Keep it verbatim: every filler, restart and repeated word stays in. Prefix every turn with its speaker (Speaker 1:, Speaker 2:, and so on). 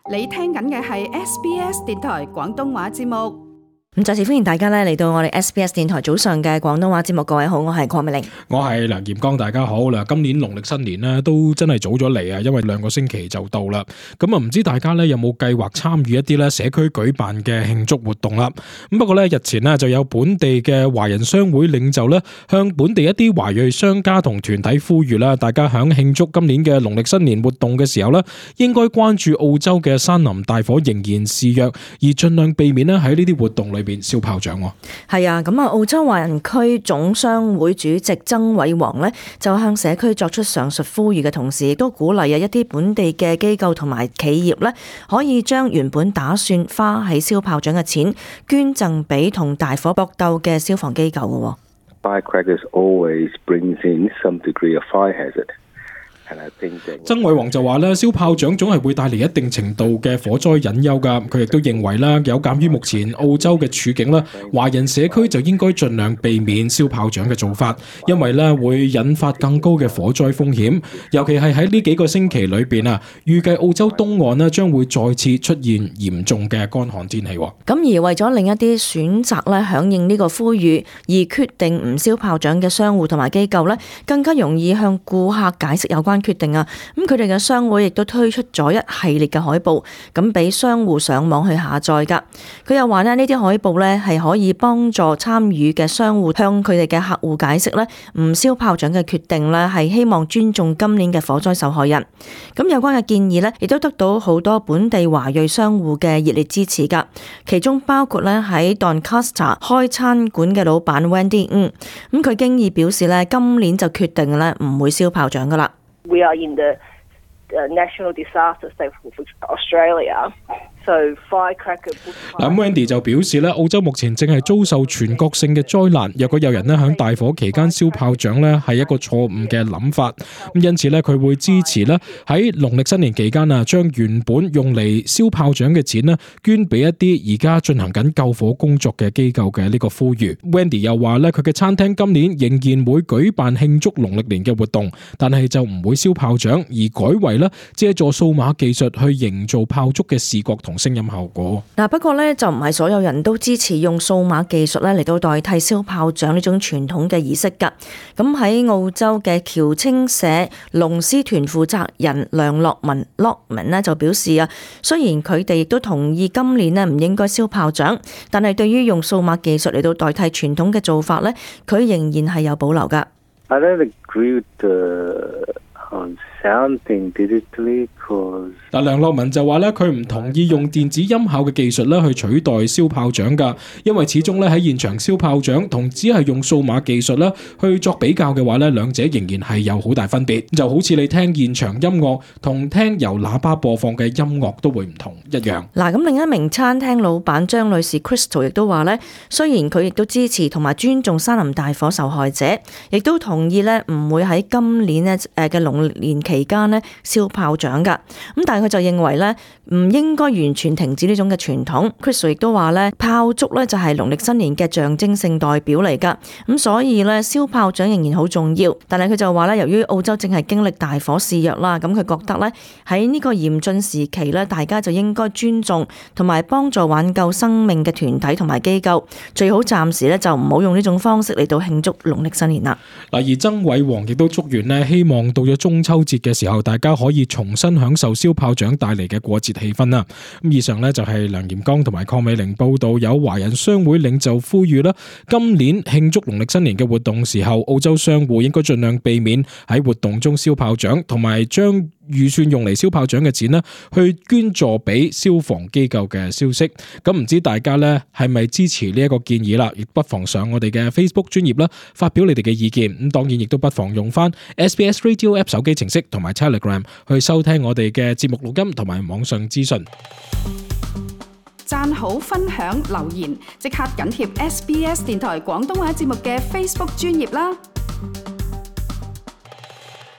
Speaker 1: 你聽緊嘅係 S B S 電台廣東話節目。
Speaker 2: 咁再次歡迎大家咧嚟到我哋 S B S 電台早上嘅廣東話節目。各位好，我係鄺美玲，
Speaker 3: 我係梁炎光，大家好啦。今年農曆新年咧都真係早咗嚟啊，因為兩個星期就到啦。咁啊，唔知大家咧有冇計劃參與一啲咧社區舉辦嘅慶祝活動啦？咁不過咧日前咧就有本地嘅華人商會領袖咧向本地一啲華裔商家同團體呼籲啦，大家響慶祝今年嘅農曆新年活動嘅時候咧，應該關注澳洲嘅山林大火仍然肆虐，而盡量避免咧喺呢啲活動裏邊燒炮仗。
Speaker 2: 係啊，咁啊，澳洲華人區總商會主席曾偉王呢，就向社區作出上述呼籲嘅同時，亦都鼓勵啊一啲本地嘅機構同埋企業呢，可以將原本打算花喺燒炮仗嘅錢捐贈俾同大火搏鬥嘅消防機構嘅。
Speaker 4: Firecrackers always brings in some degree of fire hazard.
Speaker 3: 曾偉王就話咧，燒炮仗總係會帶嚟一定程度嘅火災隱憂噶。佢亦都認為啦，有鑑於目前澳洲嘅處境啦，華人社區就應該盡量避免燒炮仗嘅做法，因為咧會引發更高嘅火災風險。尤其係喺呢幾個星期裏邊啊，預計澳洲東岸咧將會再次出現嚴重嘅乾旱天氣。咁
Speaker 2: 而為咗另一啲選擇咧響應呢個呼籲而決定唔燒炮仗嘅商戶同埋機構咧，更加容易向顧客解釋有關決定啊！咁佢哋嘅商會亦都推出咗一系列嘅海報，咁俾商戶上網去下載噶。佢又話咧，呢啲海報咧係可以幫助參與嘅商戶向佢哋嘅客戶解釋咧，唔燒炮仗嘅決定咧係希望尊重今年嘅火災受害人。咁有關嘅建議咧，亦都得到好多本地華裔商戶嘅熱烈支持噶。其中包括咧喺 Doncaster 開餐館嘅老闆 Wendy， 嗯，咁佢經已表示咧，今年就決定咧唔會燒炮仗噶啦。
Speaker 5: We are in the uh, national disaster state of Australia. So firecracker
Speaker 3: 嗱，Wendy 就表示咧，澳洲目前正係遭受全國性嘅災難。若果有人咧響大火期間燒炮仗咧，係一個錯誤嘅諗法。咁因此咧，佢會支持咧喺農曆新年期間啊，將原本用嚟燒炮仗嘅錢咧，捐俾一啲而家進行緊救火工作嘅機構嘅呢個呼籲。Wendy 又話咧，佢嘅餐廳今年仍然會舉辦慶祝農曆年嘅活動，但係就唔會燒炮仗，而改為咧借助數碼技術去營造炮竹嘅視覺同聲音效果。
Speaker 2: 嗱，不過咧就唔係所有人都支持用數碼技術咧嚟到代替燒炮仗呢種傳統嘅儀式噶。咁喺澳洲嘅僑青社龍獅團負責人梁樂文 Lockman 咧就表示啊，雖然佢哋亦都同意今年咧唔應該燒炮仗，但係對於用數碼技術嚟到代替傳統嘅做法咧，佢仍然係有保留噶。
Speaker 4: I don't agree with the sounding digitally cause
Speaker 3: 嗱，梁樂文就話咧，佢唔同意用電子音效嘅技術咧去取代燒炮仗噶，因為始終咧喺現場燒炮仗同只係用數碼技術咧去作比較嘅話咧，兩者仍然係有好大分別。就好似你聽現場音樂同聽由喇叭播放嘅音樂都會唔同一樣。嗱，
Speaker 2: 咁另一名餐廳老闆張女士 Crystal 亦都話咧，雖然佢亦都支持同埋尊重山林大火受害者，亦都同意咧唔會喺今年咧誒嘅農曆年期間咧燒炮仗噶，咁但係佢就認為咧唔應該完全停止呢種嘅傳統。Chris 亦都話咧，炮竹咧就係農曆新年嘅象徵性代表嚟噶，咁所以咧燒炮仗仍然好重要。但係佢就話咧，由於澳洲正係經歷大火肆虐啦，咁佢覺得咧喺呢個嚴峻時期咧，大家就應該尊重同埋幫助挽救生命嘅團體同埋機構，最好暫時咧就唔好用呢種方式嚟到慶祝農曆新年啦。
Speaker 3: 嗱，而曾偉王亦都祝願咧，希望到咗中秋節嘅時候，大家可以重新享受燒炮仗帶嚟嘅過節氣氛啦。咁以上呢，就係梁炎光同埋鄺美玲報道，有華人商會領袖呼籲啦，今年慶祝農曆新年嘅活動時候，澳洲商戶應該盡量避免喺活動中燒炮仗，同埋將預算用嚟燒炮仗嘅錢呢，去捐助俾消防機構嘅消息。咁唔知大家呢係咪支持呢一個建議啦？亦不妨上我哋嘅 Facebook 專頁啦，發表你哋嘅意見。咁當然亦都不妨用翻 S B S Radio App 手機程式同埋 Telegram 去收聽我哋嘅節目錄音同埋網上資訊。
Speaker 1: 讚好、分享、留言，即刻緊貼 S B S 電台廣東話節目嘅 Facebook 專頁啦！